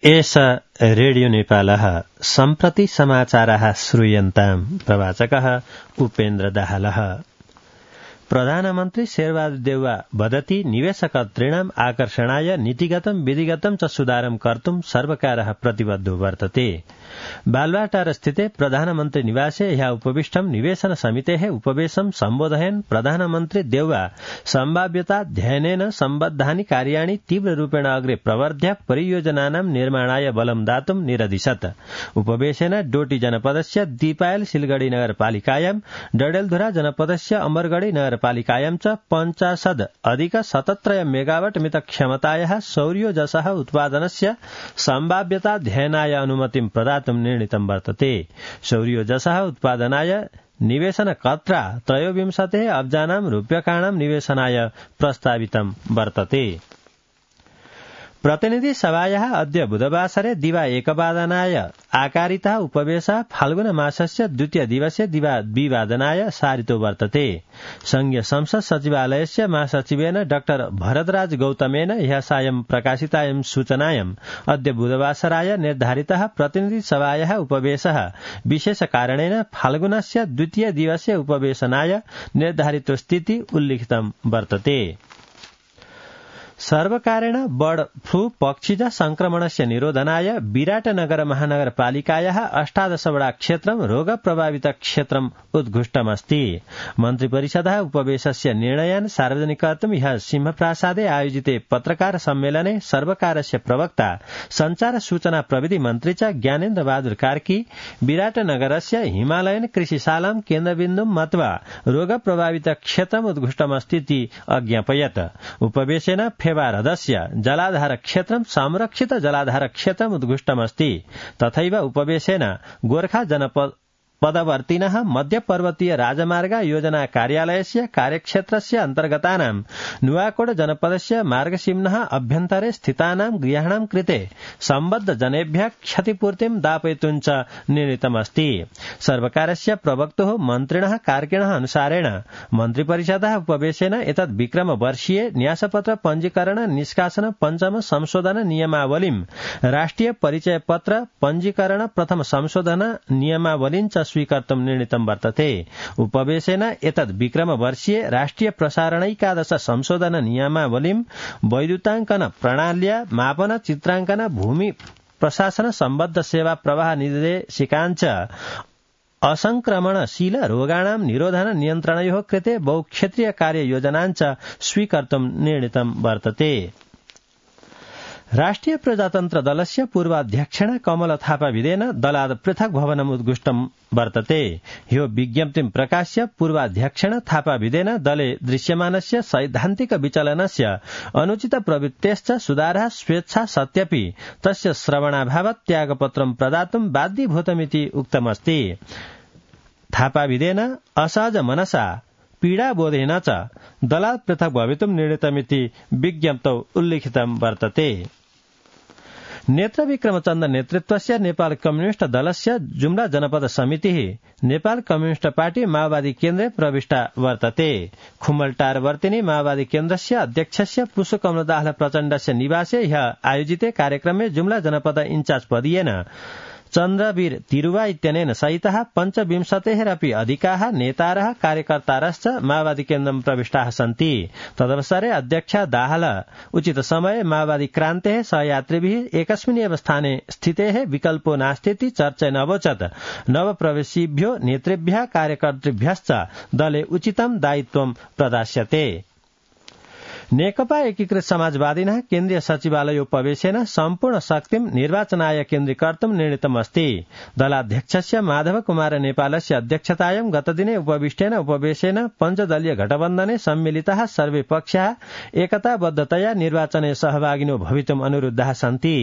एष रेडियो नेपालः सम्प्रति समाचारः श्रूयन्ताम्। प्रवाचकः उपेन्द्र दाहालः। प्रधानमन्त्री शेरबहादुर देउवा वदति निवेशकर्तॄणाम् आकर्षणाय नीतिगतं विधिगतं च सुधारं कर्तुं सर्वकारः प्रतिबद्धो वर्तते। बालवाटार स्थिते प्रधानमन्त्री निवासे ह्यः उपविष्टं निवेशन समितेः उपवेशं सम्बोधयन् प्रधानमन्त्री देउवा सम्भाव्यताध्ययनेन सम्बद्धानि कार्याणि तीव्ररूपेण अग्रे प्रवर्ध्य परियोजनानां निर्माणाय बलं दातुं निरदिशत्। उपवेशेन डोटी जनपदस्य दीपायल सिलगढ़ी नगरपालिकायां डडेलधुरा जनपदस्य अमरगढ़ी नगरपालिकायां च 50+ मेगावाट मितक्षमतायाः सौर्योजसः उत्पादनस्य सम्भाव्यताध्ययनाय अनुमतिं प्रदातुं निर्णीतं वर्तते। सौर्योजसः उत्पादनाय निवेशनकर्त्रा 23 अब्जानां रूप्यकाणां निवेशनाय प्रस्तावितं वर्तते। प्रतिनिधि सभायाः अद्य बुधवासरे दिवा 1 आकारितः उपवेशः फाल्गुन मासस्य द्वितीय दिवसे दिवा 2 सारितो वर्तते। संघीय संसद सचिवालयस्य महासचिवेन डाक्टर भरतराज गौतमेन ह्यः सायं प्रकाशितायां सूचनायाम् अद्य बुधवासराय निर्धारितः प्रतिनिधि सभायाः उपवेशः विशेष कारणेन फाल्गुनस्य द्वितीय दिवसे उपवेशनाय निर्धारितो स्थिति उल्लिखितं वर्तते। सर्वकारेण बर्ड फ्लू पक्षिज संक्रमणस्य निरोधनाय विराटनगर महानगरपालिकायाः 18 वडा क्षेत्रं रोग प्रभावित क्षेत्रम् उद्घुष्टमस्ति। मन्त्रिपरिषदः उपवेशस्य निर्णयान् सार्वजनिक कर्तुं ह्यः सिंहप्रासादे आयोजिते पत्रकार सम्मेलने सर्वकारस्य प्रवक्ता संचार सूचना प्रविधि मन्त्री च ज्ञानेन्द्र बहादुर कार्की विराटनगरस्य हिमालयन कृषिशालां केन्द्रबिन्दुं मत्वा रोग प्रभावित क्षेत्रम् उद्घुष्टमस्तीति अज्ञापयत्। उपवेशेन फेवारदस्य जलाधार क्षेत्रं संरक्षित जलाधार क्षेत्रम् उद्घुष्टमस्ति। तथैव उपवेशेन गोर्खा जनपद पदवर्तिनः मध्यपर्वतीय राजमार्ग योजना कार्यालयस्य कार्यक्षेत्रस्य अन्तर्गतानां नुवाकोट जनपदस्य मार्गसीम्नः अभ्यन्तरे स्थितानां गृहाणां कृते सम्बद्ध जनेभ्यः क्षतिपूर्तिं दापयितुं च निर्णीतमस्ति। सर्वकारस्य प्रवक्तुः मन्त्रिणः कार्किणः अनुसारेण मन्त्रिपरिषदः उपवेशेन एतद् विक्रमवर्षीय न्यासपत्र पञ्जीकरण निष्कासन पञ्चम संशोधन नियमावलीं राष्ट्रिय परिचय पत्र पञ्जीकरण प्रथम संशोधन नियमावलीं च स्वीकर्तुं निर्णीतं वर्तते। उपवेशेन एतद् विक्रमवर्षीय राष्ट्रिय प्रसारणैकादश संशोधन नियमावलीं वैद्युताङ्कन प्रणाल्या मापन चित्राङ्कन भूमि प्रशासन सम्बद्ध सेवा प्रवाह निर्देशिकाञ्च असंक्रमणशील रोगाणां निरोधन नियन्त्रणयोः कृते बहुक्षेत्रीय कार्ययोजनाञ्च स्वीकर्तुं निर्णीतं वर्तते। राष्ट्रिय प्रजातन्त्र दलस्य पूर्वाध्यक्षेण कमल थापा विदेन दलात् पृथक् भवनम् उद्घुष्टं वर्तते। ह्यो विज्ञप्तिं प्रकाश्य पूर्वाध्यक्षेण थापा विदेन दले दृश्यमानस्य सैद्धान्तिक विचलनस्य अनुचित प्रवृत्तेश्च सुधारः स्वेच्छा सत्यपि तस्य श्रवणाभावात् त्यागपत्रं प्रदातुं बाध्यभूतमिति उक्तमस्ति। थापा विदेन असहज मनसा पीडाबोधेन च दलात् पृथक् भवितुं निर्णीतमिति विज्ञप्तौ उल्लिखितं वर्तते। नेत्र विक्रमचन्द नेतृत्वस्य नेपाल कम्युनिष्ट दलस्य जुम्ला जनपद समितिः नेपाल कम्युनिष्ट पार्टी माओवादी केन्द्रे प्रविष्टा वर्तते। खुम्मलटार वर्तिनी माओवादी केन्द्रस्य अध्यक्षस्य पुष्पकमल दाहाल प्रचण्डस्य निवासे ह्यः आयोजिते कार्यक्रमे जुम्ला जनपद इन्चार्ज पदीयेन चन्द्रवीर तिरुवा इत्यनेन सहितः 25 अधिकाः नेतारः कार्यकर्तारश्च माओवादी केन्द्रं प्रविष्टाः सन्ति। तदवसरे अध्यक्ष दाहाल उचित समये माओवादी क्रान्तेः सहयात्रिभिः एकस्मिन् एव स्थाने स्थितेः विकल्पो नास्तीति चर्चेन अवोचत्। नवप्रवेशिभ्यो नेतृभ्यः कार्यकर्तृभ्यश्च दले उचितं दायित्वं प्रदास्यते। नेकपा एकीकृत समाजवादिनः केन्द्रीय सचिवालयोपवेशेन सम्पूर्ण शक्तिं निर्वाचनाय केन्द्रीकर्तुं निर्णीतमस्ति। दलाध्यक्षस्य माधव कुमार नेपालस्य अध्यक्षतायां गतदिने उपविष्टेन उपवेशेन पञ्चदलीय गठबन्धने सम्मिलिताः सर्वे पक्षाः एकताबद्धतया निर्वाचने सहभागिनो भवितुम् अनुरुद्धाः सन्ति।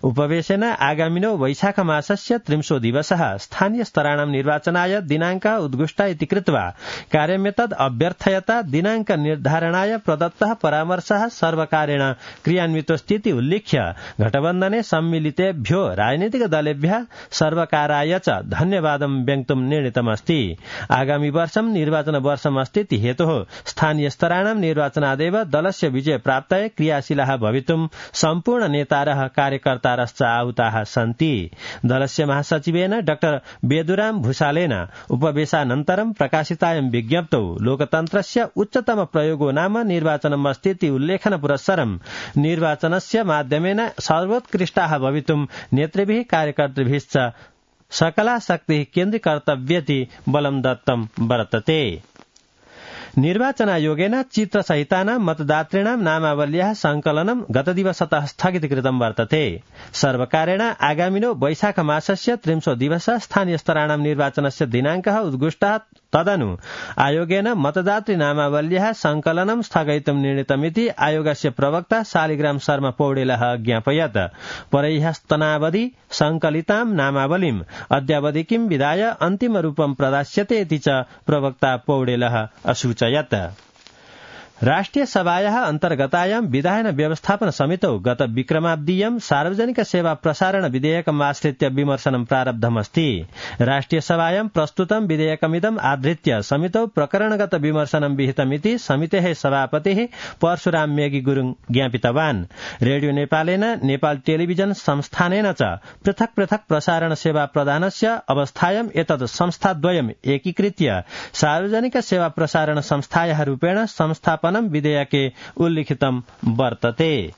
उपवेशेन आगामिनो वैशाख मासस्य 30 दिवसः स्थानीय स्तराणां निर्वाचनाय दिनाङ्कः उद्घुष्टः इति कृत्वा कार्यमेतद् अभ्यर्थयता दिनाङ्क निर्धारणाय प्रदत्तः परामर्शः सर्वकारेण क्रियान्वितोऽस्तीति उल्लिख्य घटबन्धने सम्मिलितेभ्यो राजनीतिक दलेभ्यः सर्वकाराय च धन्यवादं व्यक्तुं निर्णीतमस्ति। आगामी वर्षं निर्वाचन वर्षमस्तीति हेतोः स्थानीय स्तराणां निर्वाचनादेव दलस्य विजय प्राप्तये क्रियाशीलाः भवितुं सम्पूर्ण नेतारः कार्यकर्तारश्च आहुताः सन्ति। दलस्य महासचिवेन डाक्टर बेदुराम भूषालेन उपवेशनानन्तरं प्रकाशितायां विज्ञप्तौ लोकतन्त्रस्य उच्चतम प्रयोगो नाम निर्वाचनमस्तीति उल्लेखन पुरस्सरं निर्वाचनस्य माध्यमेन सर्वोत्कृष्टाः भवितुं नेतृभिः कार्यकर्तृभिश्च सकला शक्तिः केन्द्रीकर्तव्येति बलं दत्तं वर्तते। निर्वाचनायोगेन चित्रसहितानां मतदातॄणां नामावल्याः संकलनं गतदिवसतः स्थगितीकृतं वर्तते। सर्वकारेण आगामिनो वैशाख मासस्य 30 दिवसः स्थानीय स्तराणां निर्वाचनस्य दिनाङ्कः उद्घुष्टः। तदनु आयोगेन मतदातृ नामावल्याः संकलनं स्थगयितुं निर्णीतमिति आयोगस्य प्रवक्ता शालिग्राम शर्मा पौडेलः ज्ञापयत्। परह्यस्तनावधि संकलितां नामावलीम् अद्यावधिकीं विधाय अन्तिमरूपं प्रदास्यते इति च प्रवक्ता पौडेलः असूचयत्। राष्ट्रिय सभायाः अन्तर्गतायां विधायन व्यवस्थापन समितौ गत विक्रमाब्दीयं सार्वजनिक सेवा प्रसारण विधेयकमाश्रित्य विमर्शनं प्रारब्धमस्ति। राष्ट्रिय सभायां प्रस्तुतं विधेयकमिदम् आधृत्य समितौ प्रकरणगत विमर्शनं विहितमिति समितेः सभापतिः परशुराम मेगी गुरुङ ज्ञापितवान्। रेडियो नेपालेन नेपाल टेलिभिजन संस्थानेन च पृथक पृथक प्रसारण सेवा प्रदानस्य अवस्थायां एतद् संस्थाद्वयम् एकीकृत्य सार्वजनिक सेवा प्रसारण संस्थायाः रूपेण संस्थापन विधेयके उल्लिखितं वर्तते।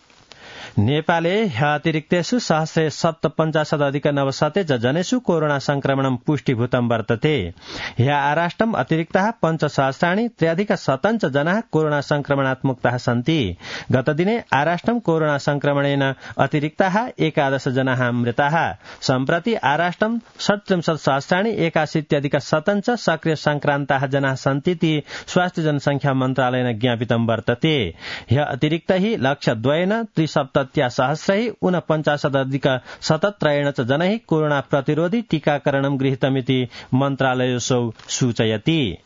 नेपाले ह्यतिरिक्तेषु 157 जनेषु कोरोना संक्रमणं पुष्टिभूतं वर्तते। ह्य आराष्ट्रम् अतिरिक्ताः 5,300 जनाः कोरोना संक्रमणात् मुक्ताः सन्ति। गतदिने आराष्ट्रं कोरोना संक्रमणेन अतिरिक्ताः 11 जनाः मृताः। सम्प्रति आराष्ट्रं 37,81 सक्रिय संक्रान्ताः जनाः सन्तीति स्वास्थ्य जनसंख्या मन्त्रालयेन ज्ञापितं वर्तते। ह्य अतिरिक्तैः 1,73,49,49 च जनैः कोरोना प्रतिरोधी टीकाकरणं गृहीतमिति मन्त्रालयोऽसौ सूचयति।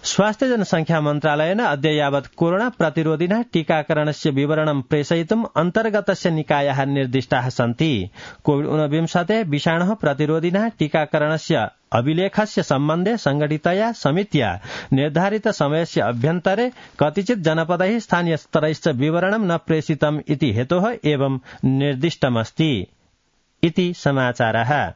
स्वास्थ्य जनसंख्या मन्त्रालयेन अद्य यावत् कोरोना प्रतिरोधिनः टीकाकरणस्य विवरणं प्रेषयितुम् अन्तर्गतस्य निकायाः निर्दिष्टाः सन्ति। कोविड-19 विषाणोः प्रतिरोधिनः टीकाकरणस्य अभिलेखस्य सम्बन्धे संघटितया समित्या निर्धारित समयस्य अभ्यन्तरे कतिचित् जनपदैः स्थानीय स्तरैश्च विवरणं न प्रेषितम् इति हेतोः एवं निर्दिष्टमस्ति इति समाचारः।